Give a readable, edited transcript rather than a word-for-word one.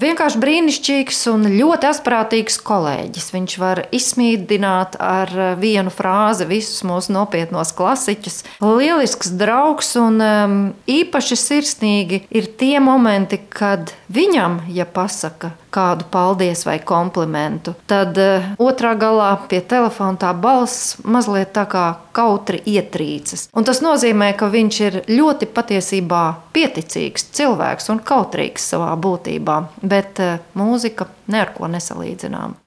Vienkārši brīnišķīgs un ļoti asprātīgs kolēģis. Viņš var izsmīdināt ar vienu frāzi visus mūsu nopietnos klasiķus. Lielisks draugs un īpaši sirsnīgi ir tie momenti, kad viņam, ja pasaka kādu paldies vai komplimentu, tad otrā galā pie telefona tā balss mazliet tā kā kautri ietrīcas. Un tas nozīmē, ka viņš ir ļoti patiesībā pieticīgs cilvēks un kautrīgs savā būtībā, bet mūzika ne ar ko nesalīdzinām.